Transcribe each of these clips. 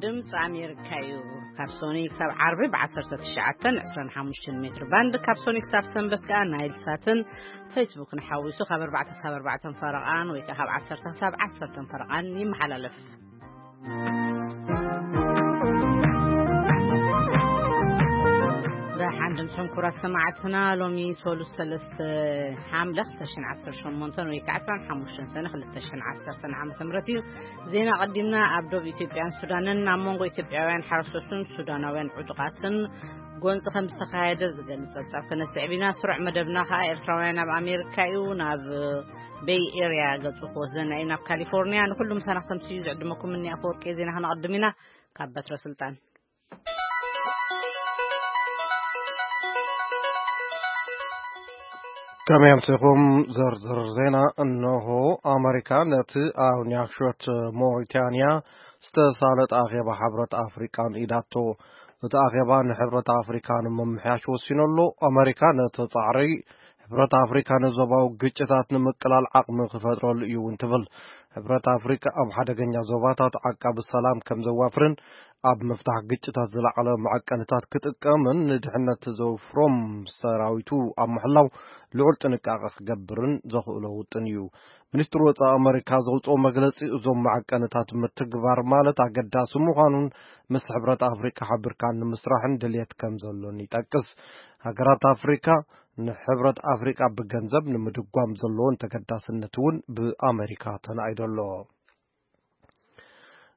ድምፂ ኣሜሪካ እዩ። ካብ ሶኒ ክሳብ ዓርቢ ብ19 25 ሜትር ባንድ፣ ካብ ሶኒ ክሳብ ሰንበት ከዓ ናይል ሳትን ፌስቡክን ሓዊሱ ካብ ኣርባዕተ ክሳብ ኣርባዕተ ፈረቓን ወይ ከዓ ካብ ዓሰርተ ክሳብ ዓሰርተ ፈረቓን ይመሓላለፍ። ደሓን ድምፅኹም ክቡራት ሰማዕትና፣ ሎሚ ሰሉስ ሰለስተ ሓምለ ክልተ ሽሕን ዓሰርተ ሸሞንተን ወይ ከዓ ዕስራን ሓሙሽተን ሰነ ክልተ ሽሕን ዓሰርተን ዓመተ ምህረት እዩ። ዜና ቀዲምና። ኣብ ዶብ ኢትዮጵያን ሱዳንን ኣብ መንጎ ኢትዮጵያውያን ሓረስቶትን ሱዳናውያን ዕጡቓትን ጎንፂ ከም ዝተኻየደ ዝገልፅ ጸብጻብ ክነስዕብ ኢና። ስሩዕ መደብና ከዓ ኤርትራውያን ኣብ ኣሜሪካ እዩ። ናብ ቤይ ኤርያ ገፁ ክወስደና እዩ፣ ናብ ካሊፎርኒያ። ንኩሉ ምሳና ክተምስዩ ዝዕድመኩም እኒ ኣፈወርቂ ዜና ክነቐድም ኢና። ካብ በትረ ስልጣን። ከመይ ኣምሲኹም? ዝርዝር ዜና እንሆ። ኣመሪካ ነቲ ኣብ ኒያክሾት ሞሪታንያ ዝተሳለጠ ኣኼባ ሕብረት ኣፍሪቃ ንኢዳቶ። እቲ ኣኼባ ንሕብረት ኣፍሪካ ንምምሕያሽ ወሲኑ ኣሎ። ኣመሪካ ነቲ ጻዕሪ ሕብረት ኣፍሪካ ንዞባዊ ግጭታት ንምቅላል ዓቕሚ ክፈጥረሉ እዩ እውን ትብል። ሕብረት ኣፍሪካ ኣብ ሓደገኛ ዞባታት ዓቃቢ ሰላም ከም ዘዋፍርን ኣብ ምፍታሕ ግጭታት ዝለዓለ መዐቀንታት ክጥቀምን ንድሕነት ዘውፍሮም ሰራዊቱ ኣብ ምሕላው ልዑል ጥንቃቐ ክገብርን ዘኽእሎ ውጥን እዩ። ሚኒስትሪ ወጻኢ ኣመሪካ ዘውፅኦ መግለፂ እዞም መዐቀንታት ምትግባር ማለት ኣገዳሲ ምዃኑን ምስ ሕብረት ኣፍሪካ ሓቢርካ ንምስራሕን ድልየት ከም ዘሎን ይጠቅስ። ሃገራት ኣፍሪካ ንሕብረት ኣፍሪቃ ብገንዘብ ንምድጓም ዘለዎን ተገዳስነት እውን ብኣመሪካ ተናኢዶ ኣሎ።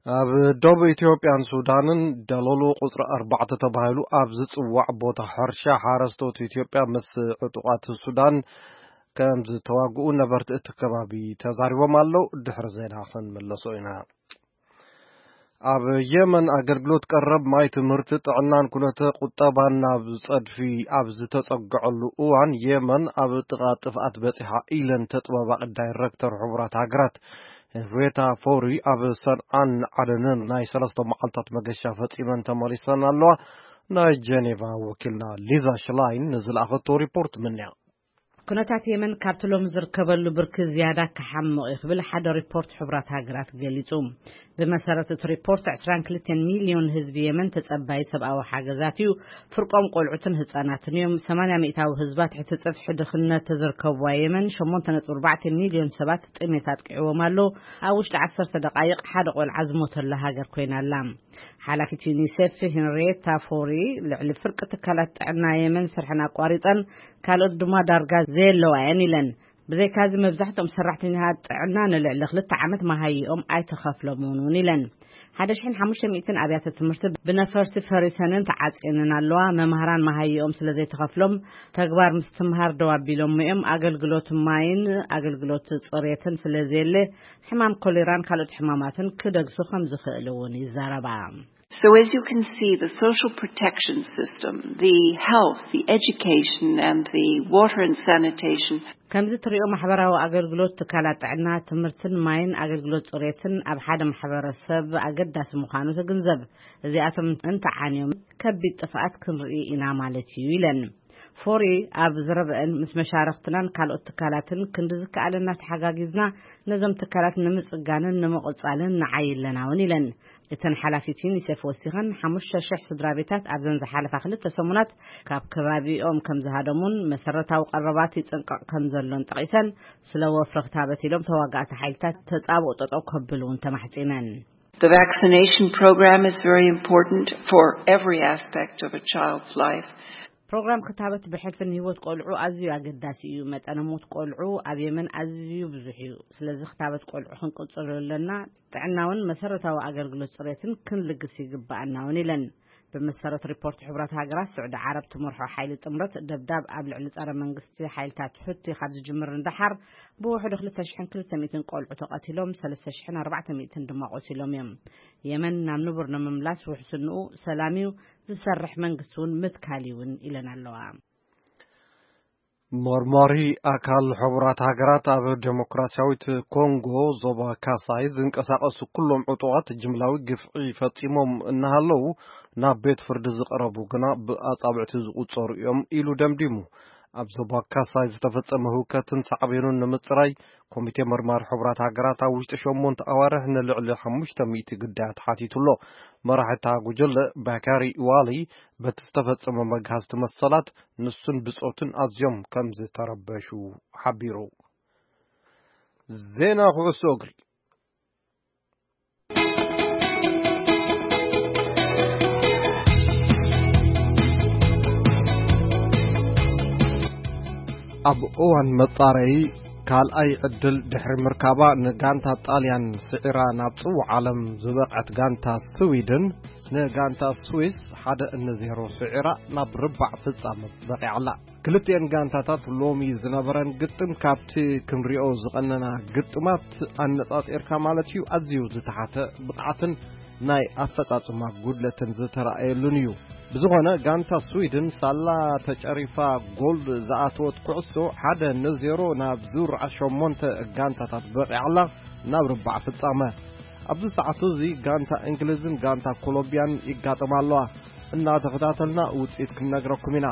ኣብ ደቡብ ኢትዮጵያን ሱዳንን ደለሎ ቁጽሪ ኣርባዕተ ተባሂሉ ኣብ ዝጽዋዕ ቦታ ሕርሻ ሓረስቶት ኢትዮጵያ ምስ ዕጡቓት ሱዳን ከም ዝተዋግኡ ነበርቲ እቲ ከባቢ ተዛሪቦም ኣለዉ። ድሕሪ ዜና ክንመለሶ ኢና። ኣብ የመን ኣገልግሎት ቀረብ ማይ፣ ትምህርቲ፣ ጥዕናን ኩነተ ቁጠባን ናብ ጸድፊ ኣብ ዝተጸግዐሉ እዋን፣ የመን ኣብ ጥቓ ጥፍኣት በጺሓ ኢለን ተጠባባቒ ዳይረክተር ሕቡራት ሃገራት ሄንሪየታ ፎሪ ኣብ ሰንዓን ዓደንን ናይ ሰለስተ መዓልታት መገሻ ፈጺመን ተመሊሰን ኣለዋ። ናይ ጀኔቫ ወኪልና ሊዛ ሽላይን ንዝለኣኸቶ ሪፖርት ምንያ። ኩነታት የመን ካብቲ ሎሚ ዝርከበሉ ብርኪ ዝያዳ ክሓምቕ እዩ ክብል ሓደ ሪፖርት ሕቡራት ሃገራት ገሊጹ። ብመሰረት እቲ ሪፖርት፣ ዕስራን ክልተን ሚልዮን ህዝቢ የመን ተጸባይ ሰብኣዊ ሓገዛት እዩ። ፍርቆም ቆልዑትን ህጻናትን እዮም። ሰማንያ ሚእታዊ ህዝባ ትሕቲ ጽፍሒ ድኽነት ተዝርከብዋ የመን፣ ሸሞንተ ነጥቢ ኣርባዕተ ሚልዮን ሰባት ጥሜት ኣጥቂዕዎም ኣሎ። ኣብ ውሽጢ ዓሰርተ ደቓይቕ ሓደ ቆልዓ ዝሞተላ ሃገር ኮይና ኣላ። ሓላፊት ዩኒሴፍ ሄንሪየታ ፎሪ፣ ልዕሊ ፍርቂ ትካላት ጥዕና የመን ስርሐን ኣቋሪጸን፣ ካልኦት ድማ ዳርጋ ዘየለዋ እየን ኢለን። ብዘይካዚ፣ መብዛሕትኦም ሰራሕተኛታት ጥዕና ንልዕሊ ክልተ ዓመት መሃይኦም ኣይተኸፍሎምን እውን ኢለን። ሓደ ሽሕን ሓሙሽተ ሚእትን ኣብያተ ትምህርቲ ብነፈርቲ ፈሪሰንን ተዓጽየንን ኣለዋ። መምሃራን መሃይኦም ስለ ዘይተኸፍሎም፣ ተግባር ምስትምሃር ደው ኣቢሎሞ እዮም። ኣገልግሎት ማይን ኣገልግሎት ጽሬትን ስለ ዘየለ፣ ሕማም ኮሌራን ካልኦት ሕማማትን ክደግሱ ከም ዝኽእል እውን ይዛረባ። So as you can see, the social protection system, the health, the education, and the water and sanitation. ከምዚ ትሪኦ፣ ማሕበራዊ ኣገልግሎት፣ ትካላት ጥዕና፣ ትምህርትን ማይን ኣገልግሎት ጽሬትን ኣብ ሓደ ማሕበረሰብ ኣገዳሲ ምዃኑ ትግንዘብ። እዚኣቶም እንተዓንዮም፣ ከቢድ ጥፍኣት ክንርኢ ኢና ማለት እዩ ኢለን። ፎሪ ኣብ ዘረበአን፣ ምስ መሻርኽትናን ካልኦት ትካላትን ክንዲ ዝከኣለና ተሓጋጊዝና ነዞም ትካላት ንምጽጋንን ንምቕጻልን ንዓይ ኣለና እውን ኢለን። እተን ሓላፊት ዩኒሴፍ ወሲኸን፣ ሓሙሽተ ሽሕ ስድራ ቤታት ኣብዘን ዝሓለፋ ክልተ ሰሙናት ካብ ከባቢኦም ከም ዝሃደሙን መሰረታዊ ቀረባት ይጽንቀቕ ከም ዘሎን ጠቒሰን፣ ስለ ወፍሪ ክታበት ኢሎም ተዋጋእቲ ሓይልታት ተጻብኦ ጠጠው ከብሉ እውን ተማሕጺነን። The vaccination program is very important for every aspect of a child's life. ፕሮግራም ክታበት ብሕልፊ ንህይወት ቆልዑ ኣዝዩ ኣገዳሲ እዩ። መጠነ ሞት ቆልዑ ኣብ የመን ኣዝዩ ብዙሕ እዩ። ስለዚ ክታበት ቆልዑ ክንቅጽሎ ኣለና። ጥዕናውን መሰረታዊ ኣገልግሎት ጽሬትን ክንልግስ ይግብኣና እውን ኢለን። ብመሰረት ሪፖርት ሕቡራት ሃገራት፣ ስዑዲ ዓረብ ትመርሖ ሓይሊ ጥምረት ደብዳብ ኣብ ልዕሊ ጸረ መንግስቲ ሓይልታት ሑቲ ካብ ዝጅምር ንደሓር ብውሕዱ ክልተ ሽሕን ክልተ ሚእትን ቆልዑ ተቐቲሎም፣ ሰለስተ ሽሕን ኣርባዕተ ሚእትን ድማ ቆሲሎም እዮም። የመን ናብ ንቡር ንምምላስ ውሕስንኡ ሰላም እዩ፣ ዝሰርሕ መንግስቲ እውን ምትካል እዩ እውን ኢለን ኣለዋ። መርማሪ ኣካል ሕቡራት ሃገራት ኣብ ዴሞክራሲያዊት ኮንጎ ዞባ ካሳይ ዝንቀሳቐሱ ኩሎም ዕጡቓት ጅምላዊ ግፍዒ ፈጺሞም እናሃለዉ፣ ናብ ቤት ፍርዲ ዝቐረቡ ግና ብኣጻብዕቲ ዝቑጸሩ እዮም ኢሉ ደምዲሙ። ኣብ ዞባ ካሳይ ዝተፈጸመ ህውከትን ሳዕቤኑን ንምጽራይ፣ ኮሚቴ መርማሪ ሕቡራት ሃገራት ኣብ ውሽጢ ሸሞንተ ኣዋርሕ ንልዕሊ ሓሙሽተ ሚእቲ ግዳያት ሓቲቱ ኣሎ። መራሒ እታ ጉጅለ ባካሪ ዋሊ፣ በቲ ዝተፈጸመ መግሃስቲ መሰላት ንሱን ብጾቱን ኣዝዮም ከም ዝተረበሹ ሓቢሩ። ዜና ኩዕሶ እግሪ። ኣብ እዋን መጻረዪ ካልኣይ ዕድል ድሕሪ ምርካባ፣ ንጋንታ ጣልያን ስዒራ ናብ ጽዋዕ ዓለም ዝበቕዐት ጋንታ ስዊድን፣ ንጋንታ ስዊስ ሓደ ንዜሮ ስዒራ ናብ ርባዕ ፍጻመ በቒዓ ኣላ። ክልቲኤን ጋንታታት ሎሚ ዝነበረን ግጥም ካብቲ ክንሪኦ ዝቐነና ግጥማት ኣነጻጺርካ ማለት እዩ፣ ኣዝዩ ዝተሓተ ብቕዓትን ናይ ኣፈጻጽማ ጉድለትን ዝተራእየሉን እዩ። ብዝኾነ፣ ጋንታ ስዊድን ሳላ ተጨሪፋ ጎል ዝኣተወት ኩዕሶ ሓደ ንዜሮ ናብ ዙር ሸሞንተ ጋንታታት በቒዓ ኣላ፣ ናብ ርባዕ ፍጻመ። ኣብዚ ሰዓት እዚ ጋንታ እንግሊዝን ጋንታ ኮሎምቢያን ይጋጠማ ኣለዋ። እናተኸታተልና ውጽኢት ክንነግረኩም ኢና።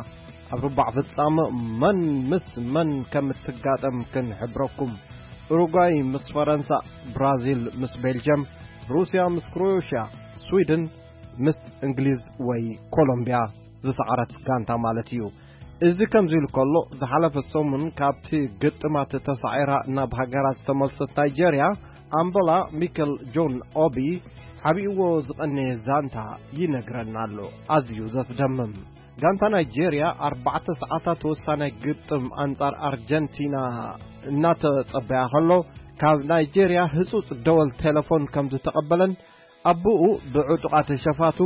ኣብ ርባዕ ፍጻመ መን ምስ መን ከም እትጋጠም ክንሕብረኩም። ኡሩጓይ ምስ ፈረንሳ፣ ብራዚል ምስ ቤልጅየም፣ ሩስያ ምስ ክሮኤሽያ፣ ስዊድን ምስ እንግሊዝ ወይ ኮሎምቢያ ዝሰዓረት ጋንታ ማለት እዩ። እዚ ከምዚ ኢሉ ከሎ፣ ዝሓለፈ ሰሙን ካብቲ ግጥማት ተሳዒራ ናብ ሃገራ ዝተመልሰት ናይጀርያ፣ ኣምበላ ሚከል ጆን ኦቢ ሓቢእዎ ዝቐነየ ዛንታ ይነግረና ኣሎ። ኣዝዩ ዘስደምም። ጋንታ ናይጄርያ ኣርባዕተ ሰዓታት ወሳናይ ግጥም ኣንጻር ኣርጀንቲና እናተጸበያ ከሎ፣ ካብ ናይጄርያ ህጹጽ ደወል ቴሌፎን ከም ዝተቐበለን፣ ኣቦኡ ብዕጡቓት ሸፋቱ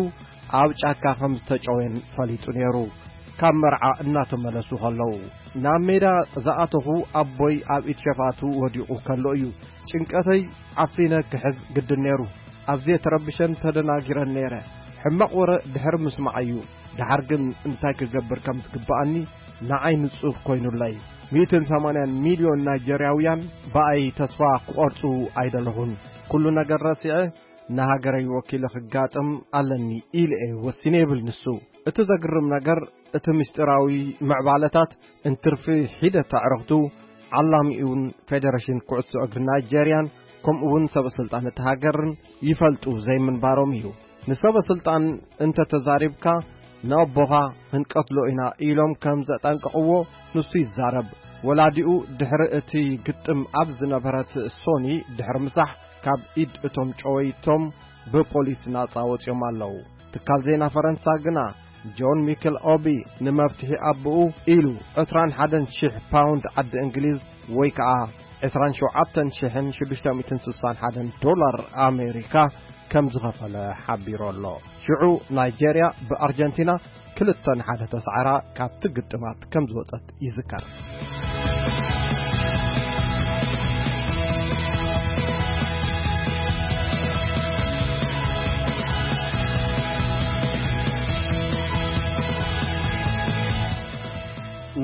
ኣብ ጫካ ከም ዝተጨወየን ፈሊጡ ነይሩ። ካብ መርዓ እናተመለሱ ከለዉ፣ ናብ ሜዳ ዝኣተኹ ኣቦይ ኣብ ኢድ ሸፋቱ ወዲቑ ከሎ እዩ። ጭንቀተይ ዓፊነ ክሕዝ ግድን ነይሩ። ኣዝየ ተረቢሸን ተደናጊረን ነይረ። ሕማቕ ወረ ድሕሪ ምስማዕ እዩ። ደሓር ግን እንታይ ክገብር ከም ዝግብኣኒ ንዓይ ንጹር ኮይኑለይ። ሚእትን ሰማንያን ሚልዮን ናይጀርያውያን ብኣይ ተስፋ ክቖርጹ ኣይደለኹን። ኩሉ ነገር ረሲዐ ንሃገረይ ወኪለ ክጋጥም ኣለኒ ኢለ እየ ወሲነ ይብል ንሱ። እቲ ዘግርም ነገር፣ እቲ ምስጢራዊ ምዕባለታት እንትርፊ ሒደት ኣዕሩኽቱ፣ ዓላሚኡን ፌደሬሽን ኩዕሶ እግሪ ናይጀርያን ከምኡውን ሰበ ስልጣን እቲ ሃገርን ይፈልጡ ዘይምንባሮም እዩ። ንሰበ ስልጣን እንተ ተዛሪብካ፣ ንኣቦኻ ክንቀትሎ ኢና ኢሎም ከም ዘጠንቀቕዎ ንሱ ይዛረብ። ወላዲኡ ድሕሪ እቲ ግጥም ኣብ ዝነበረት ሶኒ ድሕሪ ምሳሕ፣ ካብ ኢድ እቶም ጨወይቶም ብፖሊስ ናጻ ወጺኦም ኣለዉ። ትካል ዜና ፈረንሳ ግና፣ ጆን ሚክል ኦቢ ንመፍትሒ ኣቦኡ ኢሉ ዕስራን ሓደን ሽሕ ፓውንድ ዓዲ እንግሊዝ፣ ወይ ከኣ ዕስራን ሸውዓተን ሽሕን ሽዱሽተ ሚእትን ስሳን ሓደን ዶላር ኣሜሪካ ከም ዝኸፈለ ሓቢሩ ኣሎ። ሽዑ ናይጀርያ ብኣርጀንቲና ክልተ ንሓደ ተሳዕራ ካብቲ ግጥማት ከም ዝወጸት ይዝከር።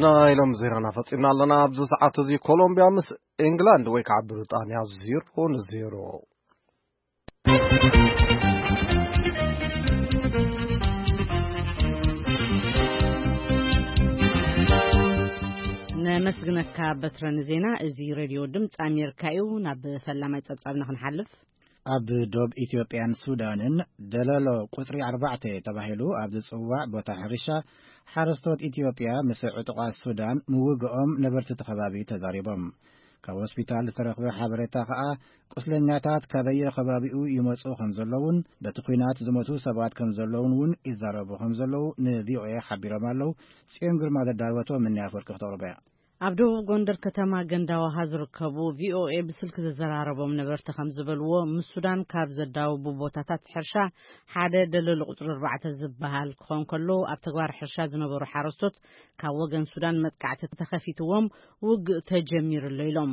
ናይ ሎም ዜናና ፈጺምና ኣለና። ኣብዚ ሰዓት እዚ ኮሎምቢያ ምስ ኤንግላንድ ወይ ከዓ ብሪጣንያ ዜሮ ንዜሮ። ነመስግነካ በትረ ንዜና። እዚ ሬድዮ ድምፂ ኣሜሪካ እዩ። ናብ ፈላማይ ጸብጻብና ክንሓልፍ። ኣብ ዶብ ኢትዮጵያን ሱዳንን ደለሎ ቁጽሪ ኣርባዕተ ተባሂሉ ኣብ ዝጽዋዕ ቦታ ሕርሻ፣ ሓረስቶት ኢትዮጵያ ምስ ዕጡቓት ሱዳን ምውግኦም ነበርቲ እቲ ከባቢ ተዛሪቦም። ካብ ሆስፒታል ዝተረኽበ ሓበሬታ ከኣ፣ ቁስለኛታት ካበየ ከባቢኡ ይመጹ ከም ዘለውን፣ በቲ ኲናት ዝሞቱ ሰባት ከም ዘለውን እውን ይዛረቡ ከም ዘለዉ ንቪኦኤ ሓቢሮም ኣለዉ። ጽዮን ግርማ ዘዳለወቶ ምንያ ኣፈወርቂ ክተቕርቦ እያ። ኣብ ደቡብ ጎንደር ከተማ ገንዳዋሃ ዝርከቡ ቪኦኤ ብስልክ ዘዘራረቦም ነበርቲ ከም ዝበልዎ፣ ምስ ሱዳን ካብ ዘዳውቡ ቦታታት ሕርሻ ሓደ ደለሎ ቁጽሪ ኣርባዕተ ዝበሃል ክኾን ከሎ፣ ኣብ ተግባር ሕርሻ ዝነበሩ ሓረስቶት ካብ ወገን ሱዳን መጥቃዕቲ ተኸፊትዎም ውግእ ተጀሚሩ ኣሎ ኢሎም።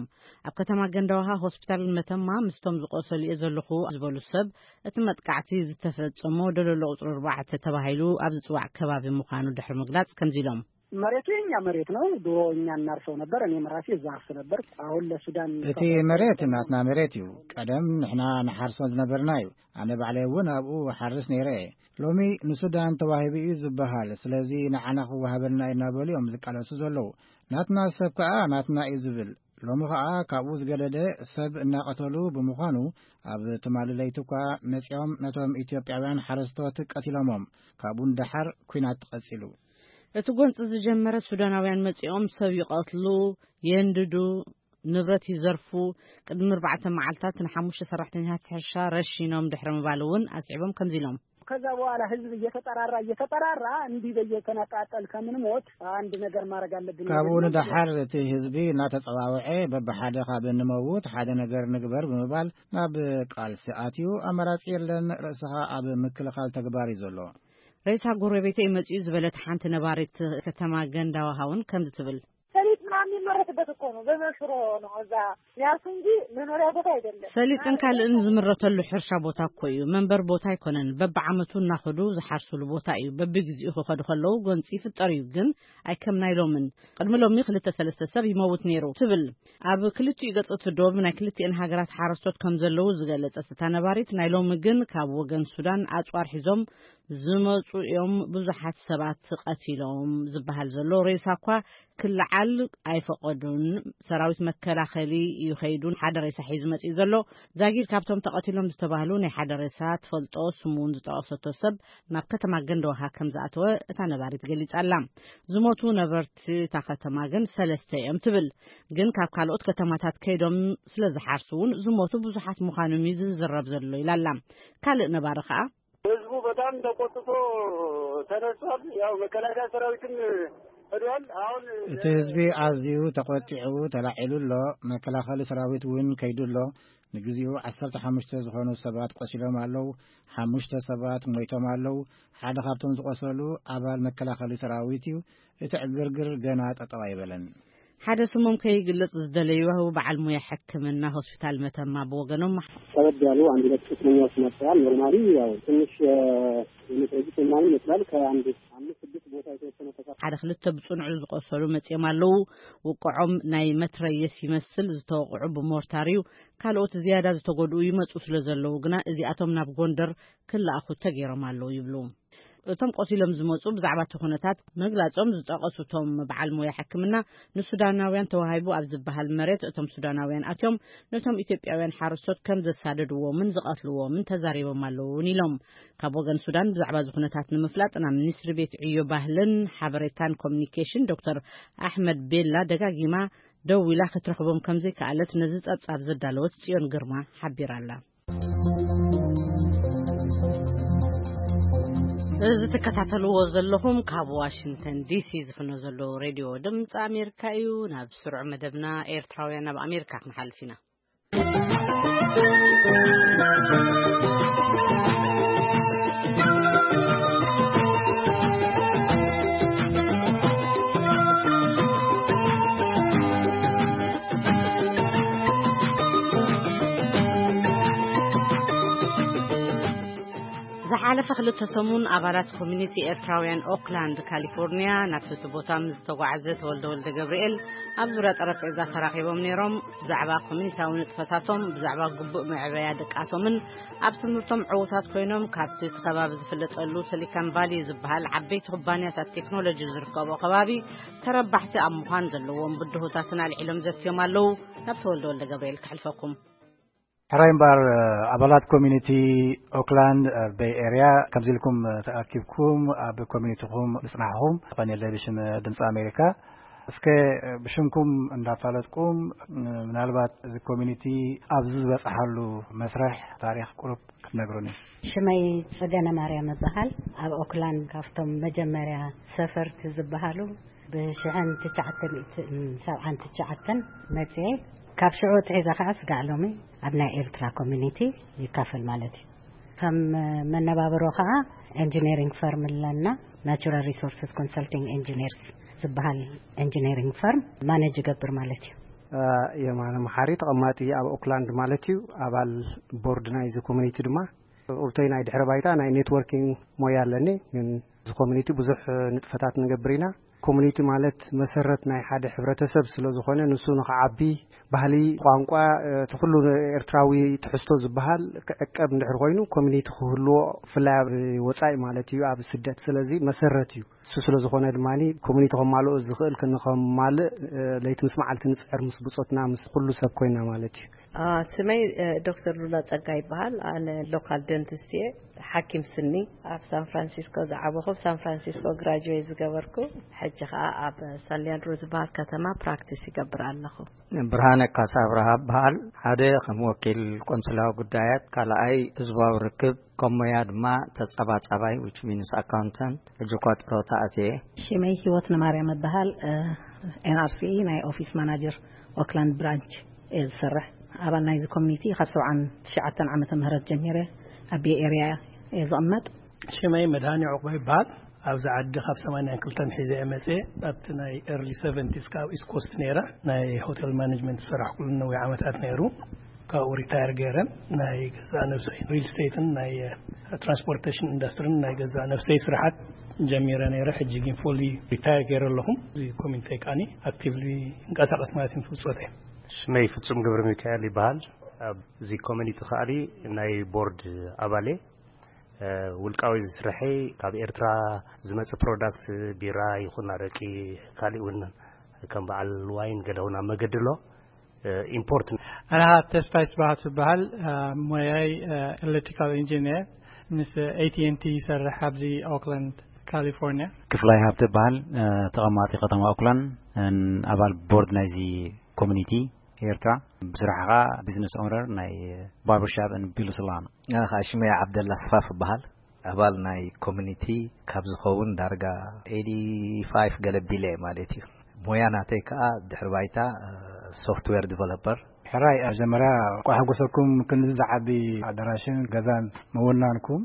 ኣብ ከተማ ገንዳዋሃ ሆስፒታል መተማ ምስቶም ዝቆሰሉ እየ ዘለኹ ዝበሉ ሰብ፣ እቲ መጥቃዕቲ ዝተፈጸሞ ደለሎ ቁጽሪ ኣርባዕተ ተባሂሉ ኣብ ዝጽዋዕ ከባቢ ምዃኑ ድሕሪ ምግላጽ ከምዚ ኢሎም። መሬቱ የኛ መሬት ነው። ድሮ እኛ እናርሰው ነበር። እኔም ራሴ እዛ አርስ ነበር። አሁን ለሱዳን እቲ መሬት ናትና መሬት እዩ። ቀደም ንሕና ንሓርሶ ዝነበርና እዩ። ኣነ ባዕለይ እውን ኣብኡ ሓርስ ነይረ እየ። ሎሚ ንሱዳን ተዋሂቡ እዩ ዝበሃል። ስለዚ ንዓና ክወሃበልና እዩ እናበሉ እዮም ዝቃለሱ ዘለዉ። ናትና ሰብ ከኣ ናትና እዩ ዝብል። ሎሚ ኸኣ ካብኡ ዝገደደ ሰብ እናቐተሉ ብምዃኑ፣ ኣብ ትማሊ ለይቲ እኳ መጺኦም ነቶም ኢትዮጵያውያን ሓረስቶት ቀቲሎሞም። ካብኡ ንደሓር ኲናት ተቐጺሉ። እቲ ጎንጺ ዝጀመረ ሱዳናውያን መጺኦም ሰብ ይቐትሉ፣ የንድዱ፣ ንብረት ይዘርፉ፣ ቅድሚ ኣርባዕተ መዓልታት ንሓሙሽተ ሰራሕተኛታት ሕርሻ ረሺኖም ድሕሪ ምባል እውን ኣስዒቦም ከምዚ ኢሎም። ከዛ በኋላ ህዝብ እየተጠራራ እየተጠራራ እንዲህ በየተነጣጠል ከምንሞት አንድ ነገር ማድረግ አለብን ካብኡ የሚል ነው። ንደሓር እቲ ህዝቢ እናተጸዋወዐ በብሓደ ካብ እንመውት ሓደ ነገር ንግበር ብምባል ናብ ቃልሲ ኣትዩ ኣማራጺ የለን፣ ርእስኻ ኣብ ምክልኻል ተግባር እዩ ዘሎ። ሬሳ ጎረቤተይ መጺኡ ዝበለት ሓንቲ ነባሪት ከተማ ገንዳዋሃ እውን ከምዚ ትብል። ሰሊጥ ምናምን የሚመረትበት እኮ ነው። በመሽሮ ነው እዛ ያሱ እንጂ መኖሪያ ቦታ አይደለም። ሰሊጥን ካልእን ዝምረተሉ ሕርሻ ቦታ እኮ እዩ። መንበር ቦታ ኣይኮነን። በብዓመቱ እናኸዱ ዝሓርሱሉ ቦታ እዩ። በብግዚኡ ክኸዱ ከለዉ ጎንፂ ይፍጠር እዩ። ግን ኣይከም ናይ ሎምን። ቅድሚ ሎሚ ክልተ ሰለስተ ሰብ ይመውት ነይሩ ትብል። ኣብ ክልቲኡ ገፅ እቲ ዶብ ናይ ክልቲኤን ሃገራት ሓረስቶት ከም ዘለዉ ዝገለፀት እታ ነባሪት፣ ናይ ሎሚ ግን ካብ ወገን ሱዳን ኣፅዋር ሒዞም ዝመፁ እዮም ብዙሓት ሰባት ቀቲሎም ዝበሃል ዘሎ ሬሳ እኳ ክለዓል ኣይፈቐዱን። ሰራዊት መከላኸሊ እዩ ከይዱ ሓደ ሬሳ ሒዙ መፂኡ ዘሎ። ዛጊድ ካብቶም ተቐቲሎም ዝተባህሉ ናይ ሓደ ሬሳ ትፈልጦ ስሙ እውን ዝጠቐሰቶ ሰብ ናብ ከተማ ገንደዋሃ ከም ዝኣተወ እታ ነባሪት ገሊጻ ኣላ። ዝሞቱ ነበርቲ እታ ከተማ ግን ሰለስተ እዮም ትብል። ግን ካብ ካልኦት ከተማታት ከይዶም ስለ ዝሓርሱ እውን ዝሞቱ ብዙሓት ምዃኖም እዩ ዝዝረብ ዘሎ ኢላ ኣላ። ካልእ ነባሪ ከኣ ህዝቡ በጣም ተቆጥቶ ተነስቷል። ያው መከላከያ ሰራዊትም ሄዷል። አሁን እቲ ህዝቢ ኣዝዩ ተቆጢዑ ተላዒሉ ኣሎ። መከላኸሊ ሰራዊት እውን ከይዱ ኣሎ። ንግዚኡ ዓሰርተ ሓሙሽተ ዝኾኑ ሰባት ቆሲሎም ኣለዉ። ሓሙሽተ ሰባት ሞይቶም ኣለዉ። ሓደ ካብቶም ዝቆሰሉ ኣባል መከላኸሊ ሰራዊት እዩ። እቲ ዕግርግር ገና ጠጠው ኣይበለን። ሓደ ስሞም ከይግለጽ ዝደለዩ በዓል ሞያ ሕክምና ሆስፒታል መተማ ብወገኖም ከበድ ያሉ አንድ ሁለት ቁስለኛዎች መጥተዋል። ኖርማሊ ያው ትንሽ የመትረጊስ ምናምን ይመስላል። ከአንድ አምስት ስድስት ቦታ የተወሰነ ተሰፋ ሓደ ክልተ ብጽኑዕ ዝቆሰሉ መጺኦም ኣለዉ። ውቅዖም ናይ መትረየስ ይመስል ዝተወቅዑ ብሞርታር እዩ። ካልኦት ዝያዳ ዝተጎድኡ ይመጹ ስለ ዘለዉ ግና እዚኣቶም ናብ ጎንደር ክለኣኹ ተገይሮም ኣለዉ ይብሉ። እቶም ቆሲሎም ዝመጹ ብዛዕባ እቲ ኩነታት መግላጾም ዝጠቐሱ እቶም በዓል ሞያ ሕክምና፣ ንሱዳናውያን ተዋሂቡ ኣብ ዝበሃል መሬት እቶም ሱዳናውያን ኣትዮም ነቶም ኢትዮጵያውያን ሓረስቶት ከም ዘሳደድዎምን ዝቐትልዎምን ተዛሪቦም ኣለዉ እውን ኢሎም። ካብ ወገን ሱዳን ብዛዕባ እዚ ኩነታት ንምፍላጥ ናብ ሚኒስትሪ ቤት ዕዮ ባህልን ሓበሬታን ኮሚኒኬሽን ዶክተር ኣሕመድ ቤላ ደጋጊማ ደዊላ ክትረኽቦም ከም ዘይከኣለት ነዚ ጸብጻብ ዘዳለወት ጽዮን ግርማ ሓቢራ ኣላ። እዚ ትከታተልዎ ዘለኹም ካብ ዋሽንግተን ዲሲ ዝፍኖ ዘሎ ሬድዮ ድምፂ ኣሜሪካ እዩ። ናብ ስሩዕ መደብና ኤርትራውያን ኣብ ኣሜሪካ ክንሓልፍ ኢና። ዝሓለፈ ክልተ ሰሙን ኣባላት ኮሚኒቲ ኤርትራውያን ኦክላንድ ካሊፎርኒያ ናብቲ እቲ ቦታ ምስ ዝተጓዓዘ ተወልደ ወልደ ገብርኤል ኣብ ዙርያ ጠረጴዛ ተራኺቦም ነይሮም። ብዛዕባ ኮሚኒታዊ ንጥፈታቶም፣ ብዛዕባ ግቡእ መዕበያ ድቃቶምን ኣብ ትምህርቶም ዕዉታት ኮይኖም ካብቲ እቲ ከባቢ ዝፍለጠሉ ሲሊካን ቫሊ ዝበሃል ዓበይቲ ኩባንያታት ቴክኖሎጂ ዝርከቦ ከባቢ ተረባሕቲ ኣብ ምዃን ዘለዎም ብድሆታትን ኣልዒሎም ዘትዮም ኣለዉ። ናብ ተወልደ ወልደ ገብርኤል ከሕልፈኩም። ሕራይ እምበኣር፣ ኣባላት ኮሚኒቲ ኦክላንድ ቤይ ኤርያ ከምዚ ኢልኩም ተኣኪብኩም ኣብ ኮሚኒቲኹም ምጽናሕኹም ቀኒለ ብሽም ድምፂ ኣሜሪካ። እስከ ብሽምኩም እንዳፋለጥኩም፣ ምናልባት እዚ ኮሚኒቲ ኣብዚ ዝበፅሓሉ መስርሕ ታሪክ ቁሩብ ክትነግሩኒ። ሽመይ ጽገነ ማርያም እበሃል። ኣብ ኦክላንድ ካብቶም መጀመርያ ሰፈርቲ ዝበሃሉ ብሽሕን ትሽዓተ ሚእትን ሰብዓን ትሽዓተን መጽየ። ካብ ሽዑ ትሒዛ ከኣ ስጋዕ ሎሚ ኣብ ናይ ኤርትራ ኮሚኒቲ ይካፈል ማለት እዩ። ከም መነባብሮ ከኣ ኤንጂነሪንግ ፈርም ኣለና። ናቹራል ሪሶርስስ ኮንሰልቲንግ ኤንጂነርስ ዝበሃል ኤንጂነሪንግ ፈርም ማኔጅ ይገብር ማለት እዩ። የማነ መሓሪ ተቐማጢ ኣብ ኦክላንድ ማለት እዩ። ኣባል ቦርድ ናይዚ ኮሚኒቲ ድማ። ኡብተይ ናይ ድሕረ ባይታ ናይ ኔትወርኪንግ ሞያ ኣለኒ። ግን እዚ ኮሚኒቲ ብዙሕ ንጥፈታት ንገብር ኢና። ኮሚኒቲ ማለት መሰረት ናይ ሓደ ሕብረተሰብ ስለ ዝኾነ፣ ንሱ ንኽዓቢ፣ ባህሊ፣ ቋንቋ፣ እቲ ኩሉ ኤርትራዊ ትሕዝቶ ዝበሃል ክዕቀብ እንድሕር ኮይኑ፣ ኮሚኒቲ ክህልዎ፣ ብፍላይ ኣብ ወጻኢ ማለት እዩ፣ ኣብ ስደት። ስለዚ መሰረት እዩ። እሱ ስለ ዝኾነ ድማ ኮሚኒቲ ከማልኦ ዝኽእል ክንከማልእ፣ ለይቲ ምስ መዓልቲ ንጽዕር፣ ምስ ብጾትና፣ ምስ ኩሉ ሰብ ኮይና ማለት እዩ። ስመይ ዶክተር ሉላ ጸጋ ይበሃል። ኣነ ሎካል ደንቲስት እየ፣ ሓኪም ስኒ። ኣብ ሳን ፍራንሲስኮ ዝዓበኹ፣ ኣብ ሳን ፍራንሲስኮ ግራጁዌት ዝገበርኩ፣ ሕጂ ኸኣ ኣብ ሳን ሊያንድሮ ዝበሃል ከተማ ፕራክቲስ ይገብር ኣለኹ። ብርሃነ ካሳ ኣብርሃ በሃል። ሓደ ከም ወኪል ቆንስላዊ ጉዳያት፣ ካልኣይ ህዝባዊ ርክብ፣ ከም ሞያ ድማ ተጸባጻባይ፣ which means accountant። ሕጂ እኳ ጥሮታ ኣትየ። ሽመይ ህይወት ነማርያም እበሃል። ኤንኣርሲ ናይ ኦፊስ ማናጀር ኦክላንድ ብራንች እየ ዝሰርሕ። ኣባል ናይዚ ኮሚኒቲ ካብ ሰብዓን ትሽዓተን ዓመተ ምህረት ጀሚረ ኣብ ቤይ ኤርያ እየ ዝቕመጥ። ሽመይ መድሃኒ ዑቕባ ይበሃል። ኣብዚ ዓዲ ካብ ሰማንያን ክልተን ሒዘ እየ መፅየ። ኣብቲ ናይ ኤርሊ ሰቨንቲስ ካብ ኢስት ኮስት ነይረ፣ ናይ ሆቴል ማኔጅመንት ዝሰራሕኩሉ ነዊሕ ዓመታት ነይሩ። ካብኡ ሪታየር ገይረ ናይ ገዛእ ነብሰይ ሪል ስቴትን ናይ ትራንስፖርቴሽን ኢንዱስትሪን ናይ ገዛእ ነብሰይ ስራሓት ጀሚረ ነይረ። ሕጂ ግን ፉሊ ሪታየር ገይረ ኣለኹ። እዚ ኮሚኒቲ ከዓኒ ኣክቲቭሊ ይንቀሳቐስ ማለት እዩ። ፍልጾተይ። ሽመይ ፍጹም ገብረ ሚካኤል ይበሃል። ኣብዚ ኮሚኒቲ ከዓኒ ናይ ቦርድ ኣባል እየ። ውልቃዊ ስርሐይ ካብ ኤርትራ ዝመጽእ ፕሮዳክት፣ ቢራ ይኹን ኣረቂ፣ ካሊእ እውን ከም በዓል ዋይን ገለ እውን ኣብ መገዲ ኣሎ። ኢምፖርት። ኣነ ተስፋይ ስብሃት ዝበሃል። ሞያይ ኤሌክትሪካል ኢንጂነር፣ ምስ ኤቲኤንቲ ይሰርሕ ኣብዚ ኦክላንድ ካሊፎርኒያ። ክፍላይ ሃብተ በሃል። ተቐማጢ ከተማ ኦክላንድ፣ ኣባል ቦርድ ናይዚ ኮሚኒቲ ኤርትራ። ብስራሕ ኸዓ ቢዝነስ ኦነር ናይ ባርበርሻፕ ን ቢሉ ስላን። ኣነ ኸዓ ሽመያ ዓብደላ ስፋፍ እበሃል። ኣባል ናይ ኮሚኒቲ ካብ ዝኸውን ዳርጋ ኤይቲ ፋይቭ ገለ ቢለ ማለት እዩ። ሞያ ናተይ ከዓ ድሕሪ ባይታ ሶፍትዌር ዲቨሎፐር። ሕራይ፣ ኣብ መጀመርያ እንኳዕ ሓጎሰኩም። ክንዚ ዝዓቢ ኣዳራሽን ገዛን ምውናንኩም፣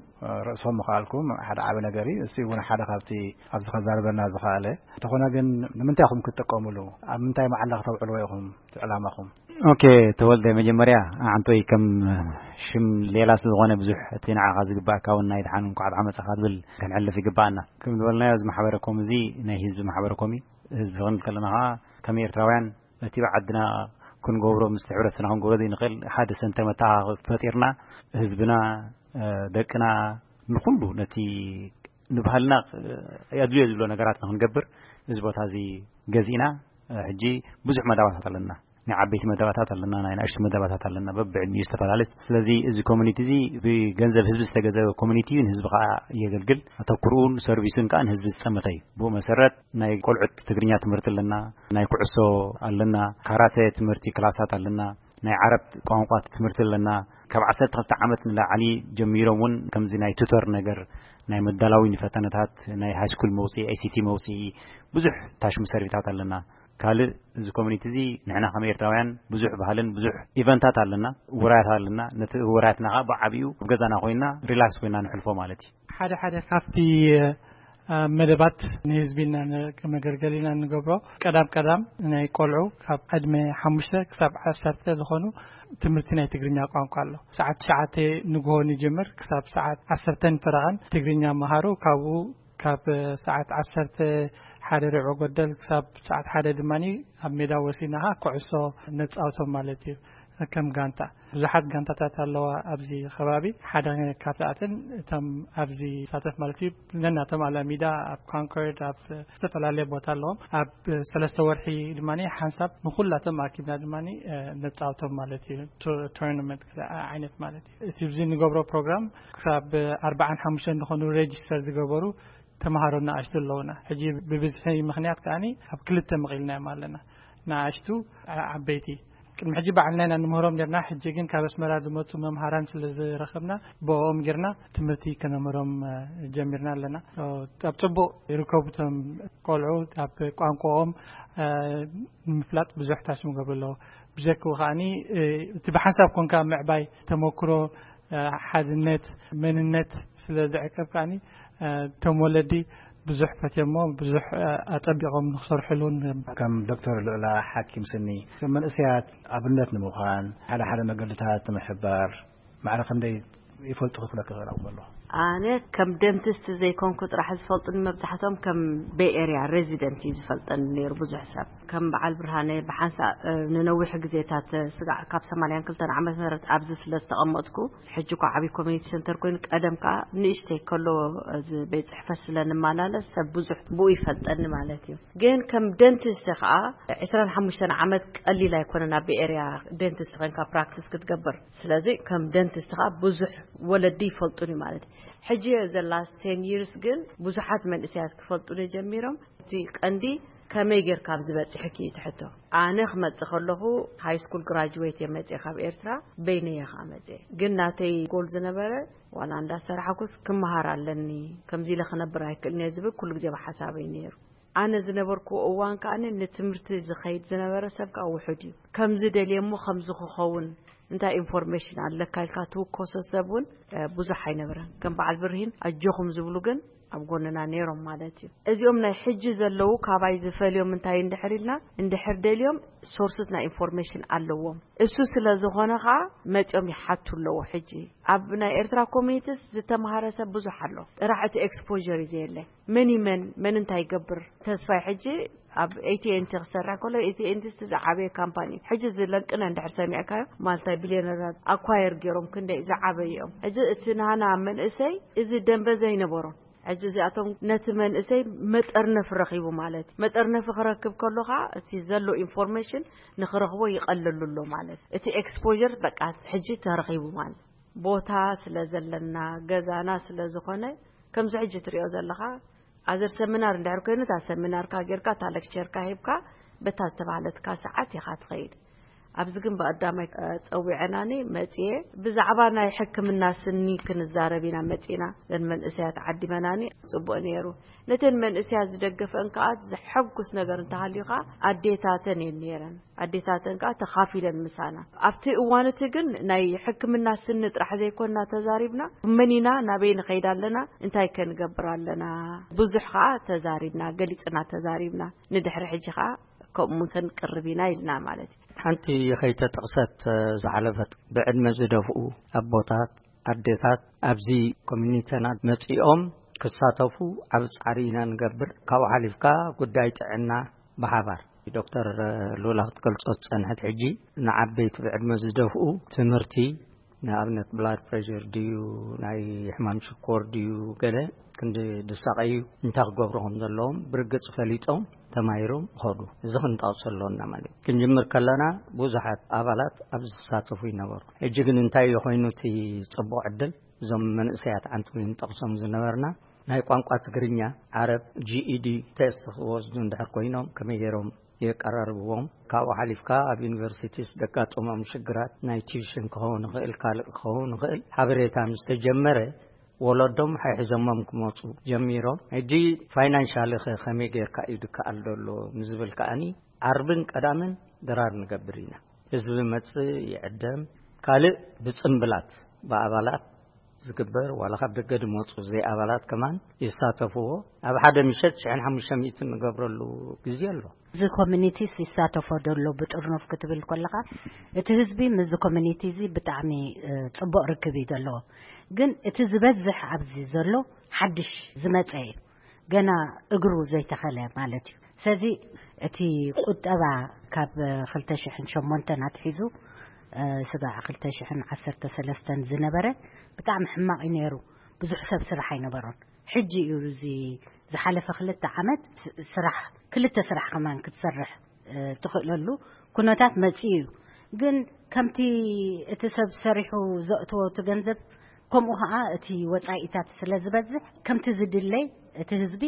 ርእሶም ምኽኣልኩም ሓደ ዓቢ ነገር እዩ። እሱ እውን ሓደ ካብቲ ኣብዚ ከዛርበና ዝኸኣለ። እንተኾነ ግን ንምንታይ ኢኹም ክትጥቀሙሉ? ኣብ ምንታይ መዓላ ክተውዕልዎ ኢኹም እቲ ዕላማኹም? ኦኬ፣ ተወልደ፣ መጀመርያ ኣዓንቶይ ከም ሽም ሌላ ስለ ዝኾነ ብዙሕ እቲ ንዓኻ ዝግባእካ እውን ናይ ደሓን እንኳዕ ደሓን መጻኻ ዝብል ከነሕልፍ ይግባኣና። ከም ዝበልናዮ እዚ ማሕበረ ኮም እዚ ናይ ህዝቢ ማሕበረ ኮም እዩ። ህዝቢ ክንብል ከለና ኸዓ ከም ኤርትራውያን እቲ ብዓድና ክንገብሮ፣ ምስቲ ሕብረተሰብና ክንገብሮ ዘይንኽእል ሓደ ሰንተር መተሓኻኸቢ ፈጢርና ህዝብና፣ ደቅና፣ ንኹሉ ነቲ ንባህልና የድልዮ ዝብሎ ነገራት ንክንገብር እዚ ቦታ እዚ ገዚእና፣ ሕጂ ብዙሕ መዳባታት ኣለና። ናይ ዓበይቲ መዳባታት ኣለና፣ ናይ ንኣሽቱ መዳባታት ኣለና፣ በብዕድሚኡ ዝተፈላለየ። ስለዚ እዚ ኮሚኒቲ እዚ ብገንዘብ ህዝቢ ዝተገዘበ ኮሚኒቲ እዩ፣ ንህዝቢ ከዓ የገልግል። ኣተኩርኡን ሰርቪሱን ከዓ ንህዝቢ ዝጠመተ እዩ። ብኡ መሰረት ናይ ቆልዑት ትግርኛ ትምህርቲ ኣለና፣ ናይ ኩዕሶ ኣለና፣ ካራተ ትምህርቲ ክላሳት ኣለና፣ ናይ ዓረብ ቋንቋ ትምህርቲ ኣለና። ካብ ዓሰርተ ክልተ ዓመት ንላዕሊ ጀሚሮም እውን ከምዚ ናይ ቱተር ነገር፣ ናይ መዳላዊ ንፈተነታት፣ ናይ ሃይስኩል መውፅኢ፣ ኤስኢቲ መውፅኢ፣ ብዙሕ ታሽሙ ሰርቪታት ኣለና። ካልእ እዚ ኮሚኒቲ እዚ ንሕና ከም ኤርትራውያን ብዙሕ ባህልን ብዙሕ ኢቨንታት ኣለና፣ ውራያት ኣለና። ነቲ ውራያትና ከዓ ብዓቢኡ ኣብ ገዛና ኮይና ሪላክስ ኮይና ንሕልፎ ማለት እዩ። ሓደ ሓደ ካብቲ፣ እ፣ መደባት ንህዝቢ ኢልና ን-፣ መገልገሊ ኢና እንገብሮ። ቀዳም ቀዳም ናይ ቆልዑ ካብ ዕድመ ሓሙሽተ ክሳብ ዓሰርተ ዝኾኑ ትምህርቲ ናይ ትግርኛ ቋንቋ ኣሎ። ሰዓት ትሽዓተ ንግሆ ንጅምር ክሳብ ሰዓት ዓሰርተ ፈረቓን ትግርኛ መሃሩ። ካብኡ ካብ ሰዓት ዓሰርተ ሓደ ርብዒ ጎደል ክሳብ ሰዓት ሓደ ድማ ኣብ ሜዳ ወሲናኻ ኩዕሶ ነጻውቶም ማለት እዩ። ከም ጋንታ ብዙሓት ጋንታታት ኣለዋ ኣብዚ ከባቢ። ሓደ ካብዚኣተን እቶም ኣብዚ ሳተፍ ማለት እዩ፣ ነናቶም ኣላሚዳ ኣብ ኮንኮርድ፣ ኣብ ዝተፈላለየ ቦታ ኣለዎም። ኣብ ሰለስተ ወርሒ ድማ ሓንሳብ ንኹላቶም ኣኪብና ድማ ነጻውቶም ማለት እዩ። ቱ-፣ ቱርናመንት ዓይነት ማለት እዩ። እቲ ብዚ ንገብሮ ፕሮግራም ክሳብ ኣርባዓን ሓሙሽተን ዝኾኑ ሬጅስተር ዝገበሩ ተምሃሮ ንኣሽቱ ኣለውና። ሕጂ ብብዝሒ ምኽንያት ከኣኒ ኣብ ክልተ መቒልናዮም ኣለና። ንኣሽቱ፣ ዓ-፣ ዓበይቲ። ቅድሚ ሕጂ ባዕልና ኢና ንምህሮም ኔርና። ሕጂ ግን ካብ ኣስመራ ዝመጹ መምሃራን ስለ ዝረኸብና ብኦም ጌርና ትምህርቲ ከነምህሮም፣ እ፣ ጀሚርና ኣለና። ኦ፣ ኣብ ጽቡቕ ይርከቡ እቶም ቆልዑ። ኣብ ቋንቋኦም፣ እ፣ ንምፍላጥ ብዙሕ ታሽሙ ገብሩ ኣለዎ። ብጀክኡ ከኣኒ፣ እ፣ እቲ ብሓንሳብ ኮንካ ምዕባይ ተመክሮ፣ እ፣ ሓድነት፣ መንነት ስለ ዝዕቀብ ከኣኒ፣ እ፣ እቶም ወለዲ ብዙሕ ፈትዮሞ፣ ብዙሕ፣ እ፣ ኣጸቢቖም ንክሰርሕሉ ንገብር። ከም ዶክተር ልዑላ ሓኪም ስኒ፣ ከም መንእሰያት ኣብነት ንምዃን፣ ሓደ ሓደ መገድታት ንምሕባር፣ ማዕረ ክንደይ ይፈልጡ ክብለካ ክእል ኣሎ? ኣነ ከም ደንቲስት ዘይኮንኩ ጥራሕ ዝፈልጡኒ፣ መብዛሕቶም ከም ቤይ ኤርያ ሬዚደንት እዩ ዝፈልጠኒ ነይሩ ብዙሕ ሰብ። ከም በዓል ብርሃነ ብሓንሳእ፣ እ፣ ንነዊሕ ግዜታት ስጋዕ ካብ ሰማንያን ክልተን ዓመት ምህረት ኣብዚ ስለ ዝተቐመጥኩ፣ ሕጂ እኳ ዓብዪ ኮሚኒቲ ሰንተር ኮይኑ፣ ቀደም ከኣ ንእሽተይ ከሎ እዚ ቤት ጽሕፈት ስለ ንመላለስ ሰብ ብዙሕ ብኡ ይፈልጠኒ ማለት እዩ። ግን ከም ደንቲስት ከኣ ዕስራን ሓሙሽተን ዓመት ቀሊል ኣይኮነን ኣብ ቤይ ኤርያ ደንቲስት ኮይንካ ፕራክቲስ ክትገብር። ስለዚ ከም ደንቲስት ከኣ ብዙሕ ወለዲ ይፈልጡኒ ማለት እዩ። ሕጂ ዘ ላስት ቴን ይርስ ግን ብዙሓት መንእሰያት ክፈልጡኒ ጀሚሮም። እቲ ቀንዲ ከመይ ጌርካ ኣብዚ በጺሕኪ እዩ እቲ ሕቶ። ኣነ ክመጽእ ከለኹ ሃይ ስኩል ግራጁዌት እየ መጽየ ካብ ኤርትራ፣ በይነየ ከኣ መጽየ። ግን ናተይ ጎል ዝነበረ ዋላ እንዳሰራሕኩስ ክመሃር ኣለኒ፣ ከምዚ ኢለ ክነብር ኣይክእልን እየ ዝብል ኩሉ ግዜ ብሓሳበይ ነይሩ። ኣነ ዝነበርኩ እዋን ከኣ ንትምህርቲ ዝኸይድ ዝነበረ ሰብ ከኣ ውሑድ እዩ። ከምዚ ደልየ እሞ ከምዚ ክኸውን እንታይ ኢንፎርሜሽን ኣለካ ኢልካ ትውከሶ ሰብ እውን፣ እ፣ ብዙሕ ኣይነበረን። ከም በዓል ብርሂን ኣጆኹም ዝብሉ ግን ኣብ ጎንና ነይሮም ማለት እዩ። እዚኦም ናይ ሕጂ ዘለዉ ካባይ ዝፈልዮም እንታይ እንድሕር ኢልና፣ እንድሕር ደልዮም ሶርስስ ናይ ኢንፎርሜሽን ኣለዎም። እሱ ስለ ዝኾነ ኸዓ መጺኦም ይሓቱ ኣለዉ። ሕጂ ኣብ ናይ ኤርትራ ኮሚኒቲስ ዝተምሃረ ሰብ ብዙሕ ኣሎ። ጥራሕ እቲ ኤክስፖዠር እዩ ዘየለ። መን እዩ መን፣ መን እንታይ ይገብር? ተስፋይ ሕጂ ኣብ ኤቲ ኤን ቲ ክሰርሕ ከሎ፣ ኤቲ ኤን ቲ ዝዓበየ ካምፓኒ እዩ። ሕጂ እዚ ለንቅነ እንድሕር ሰሚዕካዮ፣ ማልታይ ቢልዮነራት ኣኳየር ገይሮም ክንደይ ዝዓበዩ እዮም። ሕጂ እቲ ናህና መንእሰይ እዚ ደንበ ዘይነበሮም። ሕጂ እዚኣቶም ነቲ መንእሰይ መጠርነፊ ረኺቡ ማለት እዩ። መጠርነፊ ክረክብ ከሎ ኸዓ እቲ ዘሎ ኢንፎርሜሽን ንኽረኽቦ ይቐለሉ ኣሎ ማለት እዩ። እቲ ኤክስፖዠር በቃ ሕጂ ተረኺቡ ማለት እዩ። ቦታ ስለ ዘለና፣ ገዛና ስለ ዝኾነ፣ ከምዚ ሕጂ ትሪኦ ዘለኻ፣ ኣዘር ሰሚናር እንድሕር ኮይኑ፣ እታ ሰሚናርካ ጌርካ፣ እታ ሌክቸርካ ሂብካ፣ በታ ዝተባህለትካ ሰዓት ኢኻ ትኸይድ። ኣብዚ ግን ብቐዳማይ፣ እ፣ ጸዊዐናኒ መጺኤ፣ ብዛዕባ ናይ ሕክምና ስኒ ክንዛረብ ኢና መጺና። እዘን መንእሰያት ዓዲመናኒ፣ ጽቡቕ ነይሩ። ነተን መንእሰያት ዝደገፈን ከኣ ዘሐጉስ ነገር እንተሃልዩ ከኣ ኣዴታተን እየን ነይረን። ኣዴታተን ከኣ ተኻፊለን ምሳና። ኣብቲ እዋን እቲ ግን ናይ ሕክምና ስኒ ጥራሕ ዘይኮንና ተዛሪብና፣ መን ኢና፣ ናበይ ንኸይድ ኣለና፣ እንታይ ከ ንገብር ኣለና፣ ብዙሕ ከኣ ተዛሪብና፣ ገሊጽና ተዛሪብና። ንድሕሪ ሕጂ ከኣ ከምኡ ክንቅርብ ኢና ኢልና ማለት እዩ። ሓንቲ ከይተጠቕሰት ዝሓለፈት፣ ብዕድመ ዝደፍኡ ኣቦታት፣ ኣዴታት ኣብዚ ኮሚኒቲና መጺኦም ክሳተፉ ዓቢ ጻዕሪ ኢና ንገብር። ካብኡ ሓሊፍካ ጉዳይ ጥዕና ብሓባር ዶክተር ሉላ ክትገልጾ ዝጸንሐት፣ ሕጂ ንዓበይቲ ብዕድመ ዝደፍኡ ትምህርቲ፣ ንኣብነት ብላድ ፕሬሸር ድዩ፣ ናይ ሕማም ሽኮር ድዩ፣ ገለ ክንዲ ድሳቐዩ እንታይ ክገብሩ ከም ዘለዎም ብርግጽ ፈሊጦም ተማሂሮም ይኸዱ። እዚ ክንጠቕሶ ኣለና ማለት እዩ። ክንጅምር ከለና ብዙሓት ኣባላት ኣብዚ ዝሳተፉ ይነበሩ። ሕጂ ግን እንታይ እዩ ኮይኑ እቲ ጽቡቕ ዕድል? እዞም መንእሰያት ዓንቱ ንጠቕሶም ዝነበርና ናይ ቋንቋ ትግርኛ፣ ዓረብ፣ ጂ ኢ ዲ ቴስት ክወስዱ እንድሕር ኮይኖም ከመይ ገይሮም የቀራርብዎም? ካብኡ ሓሊፍካ ኣብ ዩኒቨርሲቲስ ደጋጠሞም ሽግራት ናይ ቲዩሽን ክኸውን ይኽእል፣ ካልእ ክኸውን ይኽእል፣ ሓበሬታ ምስ ተጀመረ ወለዶም ሓይሕዞሞም ክመጹ ጀሚሮም። ሕጂ ፋይናንሻሊ ኸ ከመይ ጌርካ እዩ ድከኣል ዘሎ ንዝብል ከኣኒ ዓርብን ቀዳምን ድራር ንገብር ኢና። ህዝቢ መጽእ ይዕደም። ካልእ ብጽምብላት ብኣባላት ዝግበር ዋላ ካብ ደገ ድመጹ ዘይኣባላት ከማን ይሳተፍዎ። ኣብ ሓደ ምሸት ሽሕን ሓሙሽተ ሚእትን ንገብረሉ ግዜ ኣሎ። እዚ ኮሚኒቲስ ይሳተፎ ደሎ ብጥርኑፍ ክትብል ከለኻ እቲ ህዝቢ ምስዚ ኮሚኒቲ እዚ ብጣዕሚ፣ እ፣ ጽቡቕ ርክብ እዩ ዘለዎ። ግን እቲ ዝበዝሕ ኣብዚ ዘሎ ሓድሽ ዝመጸ እዩ። ገና እግሩ ዘይተኸለ ማለት እዩ። ስለዚ እቲ ቁጠባ ካብ ክልተ ሽሕን ሸሞንተን ኣትሒዙ፣ እ፣ ስጋዕ ክልተ ሽሕን ዓሰርተ ሰለስተን ዝነበረ ብጣዕሚ ሕማቕ እዩ ነይሩ። ብዙሕ ሰብ ስራሕ ኣይነበሮን። ሕጂ እዩ እዚ ዝሓለፈ ክልተ ዓመት ስ-፣ ስራሕ፣ ክልተ ስራሕ ከማን ክትሰርሕ፣ እ፣ ትኽእለሉ ኩነታት መጺኡ እዩ። ግን ከምቲ እቲ ሰብ ሰሪሑ ዘእትዎ እቲ ገንዘብ፣ ከምኡ ኸዓ እቲ ወጻኢታት ስለ ዝበዝሕ፣ ከምቲ ዝድለይ እቲ ህዝቢ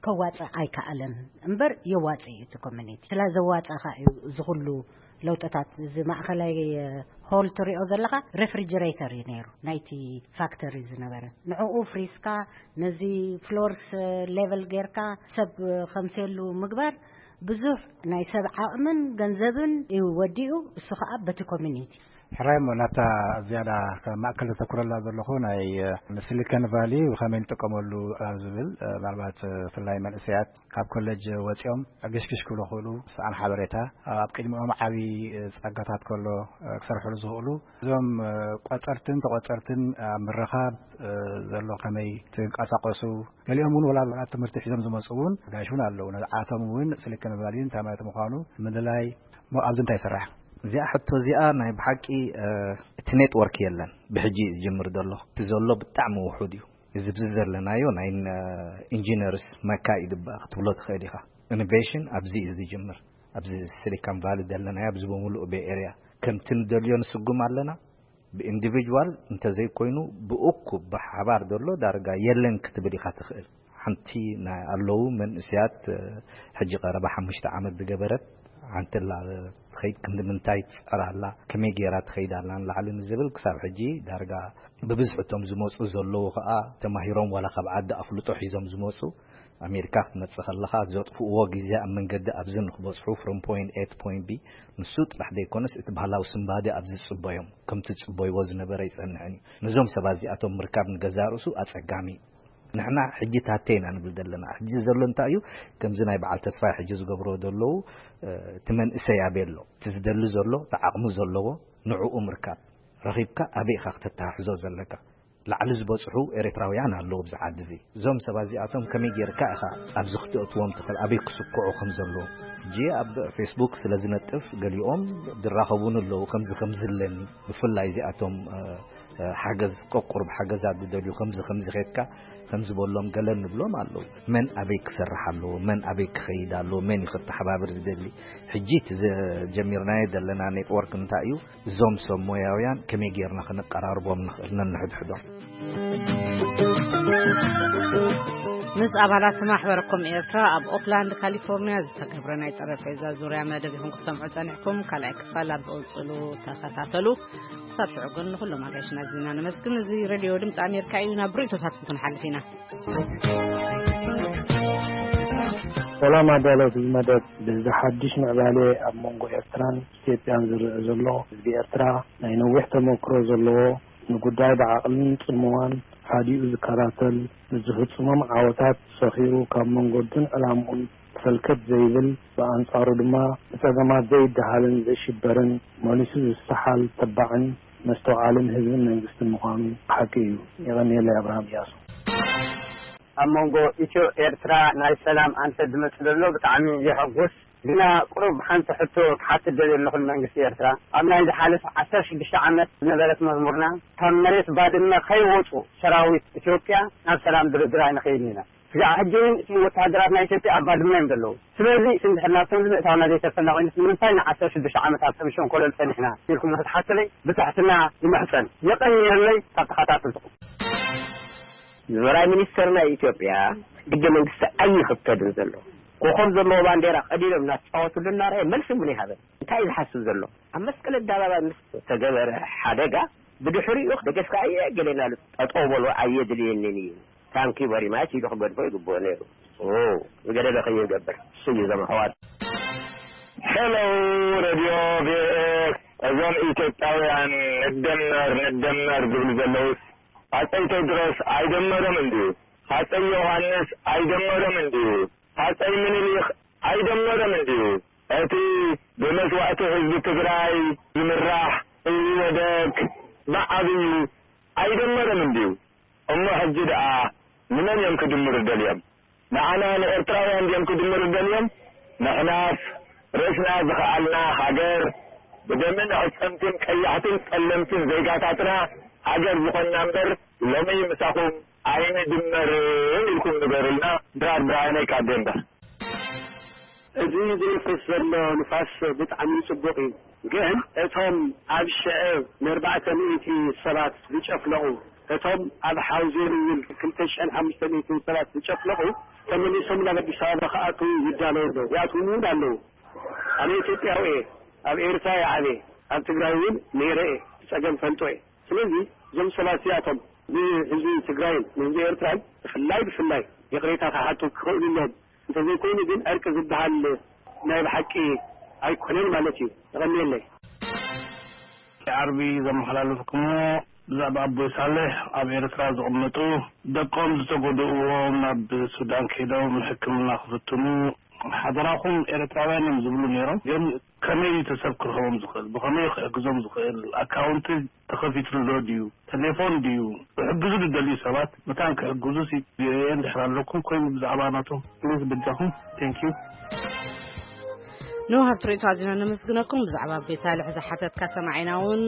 ከዋጽእ ኣይከኣለን እምበር የዋጽእ እዩ እቲ ኮሚኒቲ። ስለ ዘዋጽእ ኸዓ እዩ እዚ ኩሉ ለውጥታት። እዚ ማእኸላይ ሆል ትሪኦ ዘለኻ ሬፍሪጀሬተር እዩ ነይሩ ናይቲ ፋክተሪ ዝነበረ። ንዕኡ ፍሪስካ ነዚ ፍሎርስ ሌቨል ጌርካ ሰብ ከምስየሉ ምግባር ብዙሕ ናይ ሰብ ዓቕምን ገንዘብን እዩ ወዲኡ። እሱ ኸዓ በቲ ኮሚኒቲ ሕራይ እሞ ናብታ ዝያዳ ማእከል ዘተኩረላ ዘለኹ ናይ ሲሊኮን ቫሊ ብኸመይ ንጥቀመሉ ኣብ ዝብል፣ ምናልባት ብፍላይ መንእሰያት ካብ ኮሌጅ ወፂኦም ኣገሽግሽ ክብሉ ክእሉ ሰኣን ሓበሬታ ኣብ ቅድሚኦም ዓብዪ ጸጋታት ከሎ ክሰርሕሉ ዝኽእሉ እዞም ቆጸርትን ተቆጸርትን ኣብ ምርኻብ ዘሎ ከመይ ትንቀሳቀሱ፣ ገሊኦም እውን ወላ ኣብ ትምህርቲ ሒዞም ዝመፁ እውን ጋሽ እውን ኣለዉ። ነዓቶም እውን ሲሊኮን ቫሊ እንታይ ማለት ምዃኑ ምልላይ እሞ ኣብዚ እንታይ ይስራሕ? እዚኣ ሕቶ እዚኣ ናይ ብሓቂ፣ እ፣ እቲ ኔትወርክ የለን። ብሕጂ እዩ ዝጅምር ዘሎ። እቲ ዘሎ ብጣዕሚ ውሑድ እዩ። እዚ ብዚ ዘለናዮ ናይ፣ እ፣ ኢንጂነርስ መካ እዩ ድባ ክትብሎ ትኽእል ኢኻ። ኢኖቬሽን ኣብዚ እዩ ዝጅምር። ኣብዚ ሲሊኮን ቫሊ ዘለናዮ፣ ኣብዚ ብምሉእ ቤይ ኤርያ ከምቲ ንደልዮ ንስጉም ኣለና። ብኢንዲቪጅዋል እንተዘይኮይኑ ብእኩብ ብሓባር ዘሎ ዳርጋ የለን ክትብል ኢኻ ትኽእል። ሓንቲ ናይ ኣለዉ መንእሰያት፣ እ፣ ሕጂ ቀረባ ሓሙሽተ ዓመት ዝገበረት ሓንቲ ኣላ ትኸይድ፣ ክንዲ ምንታይ ትጸራ ኣላ፣ ከመይ ገይራ ትኸይድ ኣላ ንላዕሊ ንዝብል ክሳብ ሕጂ ዳርጋ ብብዝሒ እቶም ዝመጹ ዘለዉ ከኣ ተማሂሮም ዋላ ካብ ዓዲ ኣፍልጦ ሒዞም ዝመጹ ኣሜሪካ ክትመጽእ ከለኻ ዘጥፍእዎ ግዜ ኣብ መንገዲ ኣብዚ ንክበጽሑ from point A to point B ንሱ ጥራሕ ዘይኮነስ እቲ ባህላዊ ስንባደ ኣብ ዝጽበዮም ከምቲ ዝጽበይዎ ዝነበረ ይጸንሕን እዩ። ነዞም ሰባት እዚኣቶም ምርካብ ንገዛእ ርእሱ ኣጸጋሚ እዩ። ንሕና ሕጂ ታተ ኢና ንብል ዘለና። ሕጂ ዘሎ እንታይ እዩ? ከምዚ ናይ በዓል ተስፋይ ሕጂ ዝገብሮ ዘለዉ፣ እ፣ እቲ መንእሰይ ኣበይ ኣሎ? እቲ ዝደሊ ዘሎ፣ እቲ ዓቕሚ ዘለዎ ንዕኡ ምርካብ። ረኺብካ ኣበይ ኢኻ ክተተሓሕዞ ዘለካ? ላዕሊ ዝበጽሑ ኤርትራውያን ኣለዉ ኣብዚ ዓዲ እዚ። እዞም ሰባት እዚኣቶም ከመይ ጌርካ ኢኻ ኣብዚ ክተእትዎም ትኽእል? ኣበይ ክስክዑ ከም ዘለዎም? ሕጂ ኣብ ፌስቡክ ስለ ዝነጥፍ ገሊኦም ዝራኸቡኒ ኣለዉ፣ ከምዚ ከምዚ ኣለኒ። ብፍላይ እዚኣቶም፣ እ፣ እ፣ ሓገዝ፣ ቀቁርብ ሓገዛት ዝደልዩ ከምዚ ከምዚ ኬድካ ከምዚ በሎም ገለ ንብሎም ኣለዉ። መን ኣበይ ክሰርሕ ኣለዎ? መን ኣበይ ክኸይድ ኣለዎ? መን እዩ ከተሓባብር ዝደሊ? ሕጂ እቲ ዘ-፣ ጀሚርናዮ ዘለና ኔትወርክ እንታይ እዩ? እዞም ሰብ ሞያውያን ከመይ ጌርና ከነቀራርቦም ንኽእል ነንሕድሕዶም? ምስ ኣባላት ማሕበር ኮም ኤርትራ ኣብ ኦክላንድ ካሊፎርኒያ ዝተገብረ ናይ ጠረጴዛ ዙርያ መደብ ኢኹም ክትሰምዑ ጸኒሕኩም። ካልኣይ ክፋል ኣብ ዝቕጽሉ ተኸታተሉ። ክሳብ ሽዑ ግን ንኹሎም ኣጋይሽና ኣዚና ነመስግን። እዚ ሬድዮ ድምፂ ኣሜሪካ እዩ። ናብ ርእይቶታትኩም ክንሓልፍ ኢና። ሰላም ኣዳለውቲ መደብ፣ በዚ ሓድሽ ምዕባለ ኣብ መንጎ ኤርትራን ኢትዮጵያን ዝረአ ዘሎ፣ ህዝቢ ኤርትራ ናይ ነዊሕ ተመክሮ ዘለዎ፣ ንጉዳይ ብዓቕልን ጽምዋን ሓዲኡ ዝከታተል፣ ንዝፍጽሞም ዓወታት ሰኺሩ ካብ መንገዱን ዕላምኡን ፈልከት ዘይብል፣ ብኣንጻሩ ድማ ብጸገማት ዘይደሃልን ዘይሽበርን፣ መሊሱ ዝሰሓል ተባዕን መስተውዓልን ህዝብን መንግስትን ምዃኑ ሓቂ እዩ። የቐንየለይ። ኣብርሃም እያሱ። ኣብ መንጎ ኢትዮ ኤርትራ ናይ ሰላም ኣንፈት ዝመጽእ ዘሎ ብጣዕሚ የሐጉስ። ግና ቁሩብ ሓንቲ ሕቶ ክሓትት ደልየ ኣለኹ ንመንግስቲ ኤርትራ። ኣብ ናይ ዝሓለፈ ዓሰርተ ሽዱሽተ ዓመት ዝነበረት መዝሙርና፣ ካብ መሬት ባድመ ከይወጹ ሰራዊት ኢትዮጵያ ናብ ሰላም ድርድር ኣይንኸይድን ኢና። ስጋዕ ሕጂ እውን እቶም ወተሃደራት ናይ ኢትዮጵያ ኣብ ባድመ እዮም ዘለዉ። ስለዚ እንድሕር ናብቶም ንምእታውና ዘይተርፈና ኮይኑስ ንምንታይ ንዓሰርተ ሽዱሽተ ዓመት ኣብ ከም ሸንኮለል ጸኒሕና ኢልኩም ንክትሓቱለይ ብትሕትና ይምሕጸን። የቐንየለይ ካብ ተኸታተልትኹም። ዝመራይ ሚኒስተር ናይ ኢትዮጵያ ሕገ መንግስቲ ኣይኽተልን ዘሎ። ኮኾብ ዘለዎ ባንዴራ ቀዲዶም እናተፃወትሉ እናረኣየ መልሲ እውን ይሃበን። እንታይ እዩ ዝሓስብ ዘሎ? ኣብ መስቀል ኣደባባይ ምስ ተገበረ ሓደጋ ብድሕሪኡ ደገፍካ ኣየ ገለ እናሉ ጠጠው በሉ ኣየድልየንን እዩ። ታንኪ በሪ ማች ኢሉ ክገድፎ ይግብኦ ነይሩ። ኦ፣ ዝገደለ ከይንገብር እሱ እዩ እዞም ኣሕዋት። ሄሎ ሬድዮ ቪኦኤ፣ እዞም ኢትዮጵያውያን ንደመር ንደመር ዝብሉ ዘለውስ ሃፀይ ቴድሮስ ኣይደመሮም እንድዩ? ሃፀይ ዮሃንስ ኣይደመሮም እንድዩ? ሃፀይ ምኒልክ ኣይደመሮም እንድዩ? እቲ ብመስዋእቲ ህዝቢ ትግራይ ዝምራሕ ኢህወደግ ብዓብዩ ኣይደመሮም እንድዩ? እሞ ሕጂ ደኣ ንመን እዮም ክድምሩ ደልዮም? ንዓና ንኤርትራውያን ድዮም ክድምሩ ደልዮም? ንሕናስ ርእስና ዝኸኣልና ሃገር ብደምን ዕጸምትን ቀያሕትን ጸለምትን ዜጋታትና ሃገር ዝኾንና እምበር ሎሚ ምሳኹም ኣይንድመርን ኢልኩም ንገሩልና። ድራር ብርሃነይ ካብ ዴንቨር። እዚ ዝንፍስ ዘሎ ንፋስ ብጣዕሚ ጽቡቕ እዩ፣ ግን እቶም ኣብ ሽዐ ንኣርባዕተ ሚእቲ ሰባት ዝጨፍለቑ፣ እቶም ኣብ ሓውዜን እውን ክልተ ሽሕን ሓሙሽተ ሚእትን ሰባት ዝጨፍለቑ ተመሊሶም ናብ ኣዲስ ኣበባ ክኣትዉ ይዳለዉ ኣለዉ። ይኣትዉ እውን ኣለዉ። ኣነ ኢትዮጵያዊ እየ፣ ኣብ ኤርትራ እየ ዓብየ፣ ኣብ ትግራይ እውን ነይረ እየ፣ እቲ ጸገም ፈልጦ እየ። ስለዚ እዞም ሰባት እዚኣቶም ንህዝቢ ትግራይን ንህዝቢ ኤርትራን ብፍላይ ብፍላይ ይቕሬታ ክሓቱ ክኽእሉ ኣለዎም። እንተዘይኮይኑ ግን ዕርቂ ዝበሃል ናይ ብሓቂ ኣይኮነን ማለት እዩ። የቐንየለይ። ዓርቢ ዘመሓላለፍኩሞ ብዛዕባ ኣቦይ ሳልሕ ኣብ ኤርትራ ዝቕመጡ ደቆም ዝተጎድእዎም ናብ ሱዳን ከይዶም ሕክምና ክፍትኑ ሓደራኹም ኤርትራውያን እዮም ዝብሉ ነይሮም። ግን ከመይ እዩ ተሰብ ክረኽቦም ዝኽእል? ብኸመይ ክሕግዞም ዝኽእል? ኣካውንቲ ተኸፊትሉ ዶ ድዩ? ቴሌፎን ድዩ? ክሕግዙ ዝደልዩ ሰባት መታን ክሕግዙ ሲ ቪኦኤ እንድሕር ኣለኩም ኮይኑ ብዛዕባ ናቶም ፕሊዝ በጃኹም። ቴንክ ዩ። ንውሃብ ትርኢቱ ኣዚና ነመስግነኩም። ብዛዕባ ኣቦይ ሳልሕ ዝሓተትካ ሰማዒና እውን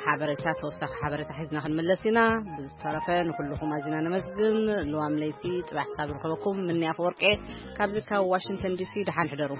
ሓበሬታ፣ ተወሳኺ ሓበሬታ ሒዝና ክንምለስ ኢና። ብዝተረፈ ንኩልኹም ኣዚና ነመስግን። ልዋም ለይቲ ጽባሕ ክሳብ ርኸበኩም ምንያ ኣፈወርቄ ካብዚ ካብ ዋሽንግተን ዲሲ፣ ደሓን ሕደሩ።